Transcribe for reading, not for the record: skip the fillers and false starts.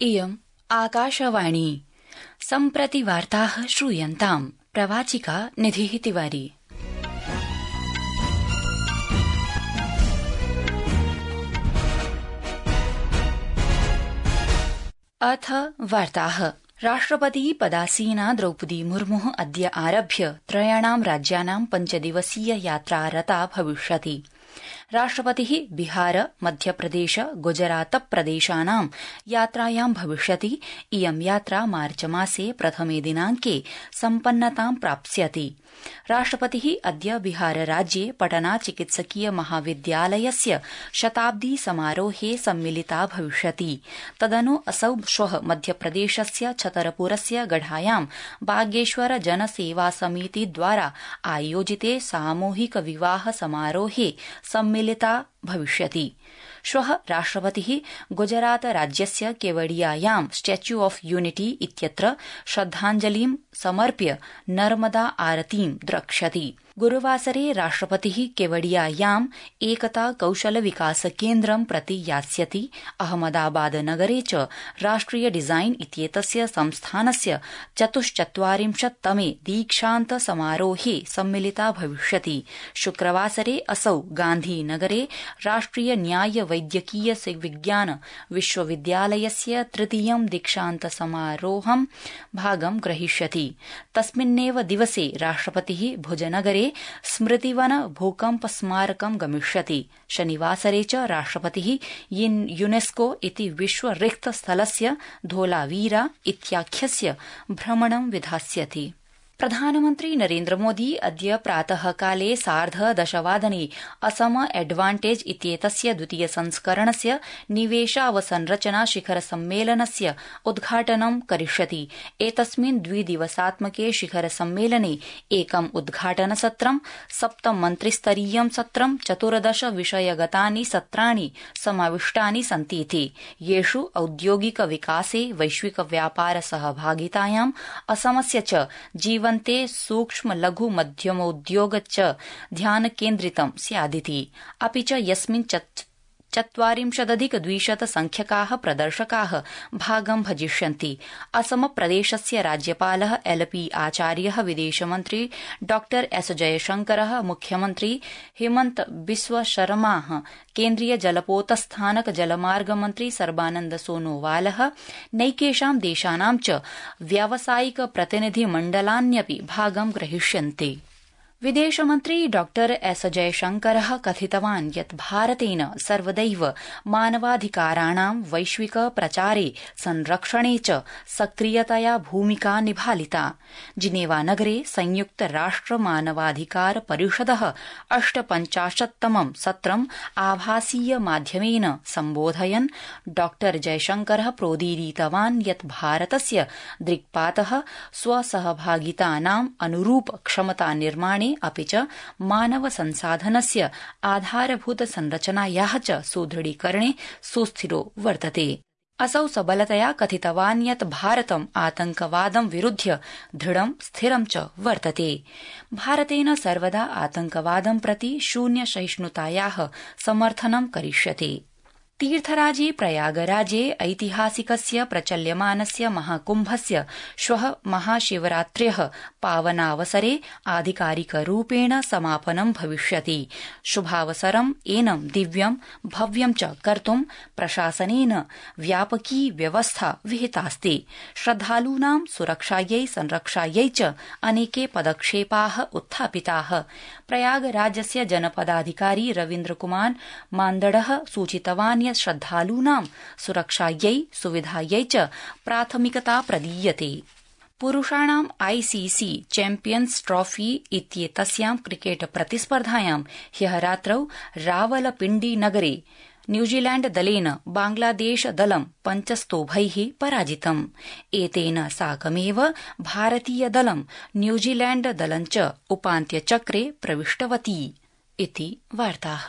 इयम् आकाशवाणी। सम्प्रति वार्ताः श्रूयन्ताम्। प्रवाचिका निधिः तिवारी। अथ वार्ताः। राष्ट्रपति पदासीना द्रौपदी मुर्मुः अद्य आरभ्य त्रयाणां राज्यानां 5 दिवसीय यात्रा रता भविष्यति। राष्ट्रपतिः बिहार, मध्यप्रदेश, गुजरात प्रदेशानां यात्रायां भविष्यति। इयं यात्रा मार्चमासे प्रथमे दिनाङ्के सम्पन्नतां प्राप्स्यति। राष्ट्रपतिः अद्य बिहारराज्ये पटना चिकित्सकीय महाविद्यालयस्य शताब्दी समारोहे सम्मिलिता भविष्यति। तदनु असौ श्वः मध्यप्रदेशस्य छतरपुरस्य गढायां बागेश्वर जनसेवा समिति द्वारा आयोजिते सामूहिक विवाह समारोहे सम्मिलिता भविष्यति। श्वः राष्ट्रपतिः गुजरात राज्यस्य केवडियायां स्टैच्यू ऑफ यूनिटी इत्यत्र श्रद्धाञ्जलिं समर्प्य नर्मदा आरतीं द्रक्ष्यति। गुरुवासरे राष्ट्रपतिः केवडियायाम् एकता कौशल विकास केन्द्रं प्रति यास्यति। अहमदाबाद नगरे च राष्ट्रिय डिजाइन इत्येतस्य संस्थानस्य 44तमे दीक्षान्त समारोहे सम्मिलिता भविष्यति। शुक्रवासरे असौ गान्धीनगरे राष्ट्रिय न्याय वैद्यकीय विज्ञान विश्वविद्यालयस्य तृतीयं दीक्षान्त समारोहं भागं ग्रहीष्यति। तस्मिन्नेव दिवसे राष्ट्रपतिः भुजनगरे स्मृतिवन भूकम्प स्मारकं गमिष्यति। शनिवासरे च राष्ट्रपतिः यूनेस्को इति विश्व रिक्त स्थलस्य धोलावीरा इत्याख्यस्य भ्रमणं विधास्यति। प्रधानमन्त्री नरेन्द्र मोदी अद्य प्रातःकाले 10:30 असम एडवान्टेज इत्येतस्य द्वितीय संस्करणस्य निवेशावसंरचना शिखर सम्मेलनस्य उद्घाटनं करिष्यति। एतस्मिन् 2 दिवसात्मके शिखर सम्मेलने एकम् उद्घाटनसत्रं, 7 मन्त्रिस्तरीयं सत्रं, 14 विषयगतानि सत्राणि समाविष्टानि सन्तीति। येषु औद्योगिक विकासे, वैश्विक व्यापार सहभागितायाम्, असमस्य च जीवन्ते सूक्ष्म लघु मध्यमोद्योग च ध्यान केन्द्रितं स्यादिति। अपि च यस्मिन् 40,200 संख्यकाः प्रदर्शकाः भागं भजिष्यन्ति। असम प्रदेशस्य राज्यपालः LP आचार्यः, विदेशमन्त्री डॉ S जयशंकरः, मुख्यमन्त्री हेमन्त बिस्व शर्माः, केन्द्रीय जलपोतस्थानक जलमार्ग मन्त्री सर्बानन्द सोनोवालः, नैकेषां देशानां च व्यावसायिक प्रतिनिधिमण्डलान्यपि भागं ग्रहीष्यन्ति। विदेशमन्त्री डॉ S जयशंकरः कथितवान् यत् भारतेन सर्वदैव मानवाधिकाराणां वैश्विक प्रचारे, संरक्षणे च सक्रियतया भूमिका निभालिता। जिनेवा नगरे संयुक्त राष्ट्र मानवाधिकार परिषदः 58तमं सत्रम् आभासीय माध्यमेन सम्बोधयन् डॉ जयशंकरः प्रोदीरितवान् यत् भारतस्य दृक्पातः स्वसहभागितानाम् अनुरूप क्षमता निर्माणे अपि च मानव संसाधनस्य आधारभूत संरचनायाः च सुदृढीकरणे सुस्थिरो वर्तते। असौ सबलतया कथितवान् यत् भारतम् आतंकवादं विरुध्य दृढं स्थिरं च वर्तते। भारतेन सर्वदा आतंकवादं प्रति शून्य सहिष्णुतायाः समर्थनं करिष्यते। तीर्थराजे प्रयागराजे ऐतिहासिकस्य प्रचल्यमानस्य महाकुम्भस्य श्वः महाशिवरात्र्यः पावनावसरे आधिकारिकरूपेण समापनं भविष्यति। शुभावसरम् एनं दिव्यं भव्यं च कर्तुं प्रशासनेन व्यापकी व्यवस्था विहितास्ति। श्रद्धालूनां सुरक्षायै संरक्षायै च अनेके पदक्षेपाः उत्थापिताः। प्रयागराजस्य जनपदाधिकारी रवीन्द्रकुमार मान्दडः सूचितवान् यत् श्रद्धालूनां सुरक्षायै सुविधायै च प्राथमिकता प्रदीयते। पुरुषाणां ICC चैम्पियन्स् ट्रॉफी इत्येतस्यां क्रिकेट प्रतिस्पर्धायां ह्यः रात्रौ रावलपिण्डी नगरे न्यूजीलैण्ड दलेन बांग्लादेश दलं 5 स्तोभैः पराजितम्। एतेन साकमेव भारतीय दलं न्यूजीलैण्ड दलं च उपान्त्यचक्रे प्रविष्टवती इति वार्ताः।